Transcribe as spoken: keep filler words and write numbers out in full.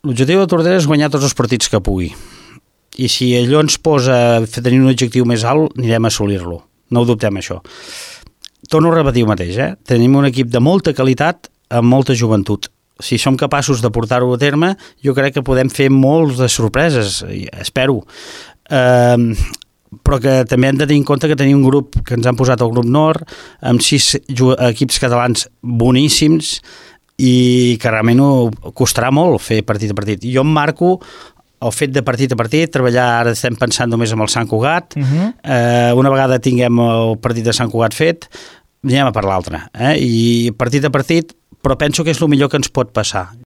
l'objectiu de Tordera és guanyar tots els partits que pugui. I si allò ens posa a tenir un objectiu més alt, anirem a assolir-lo. No ho dubtem, això. Torno a repetir el mateix, eh? Tenim un equip de molta qualitat amb molta joventut. Si som capaços de portar-ho a terme, jo crec que podem fer molts de sorpreses, espero. Eh, però que també hem de tenir en compte que tenim un grup que ens han posat al grup Nord, amb sis equips catalans boníssims, i que realment ho costarà molt fer partit a partit. Jo em marco el fet de partit a partit, treballar, ara estem pensant només amb el Sant Cugat, uh-huh. eh, una vegada tinguem el partit de Sant Cugat fet, anem a per l'altre, eh? I partit a partit, però penso que és el millor que ens pot passar.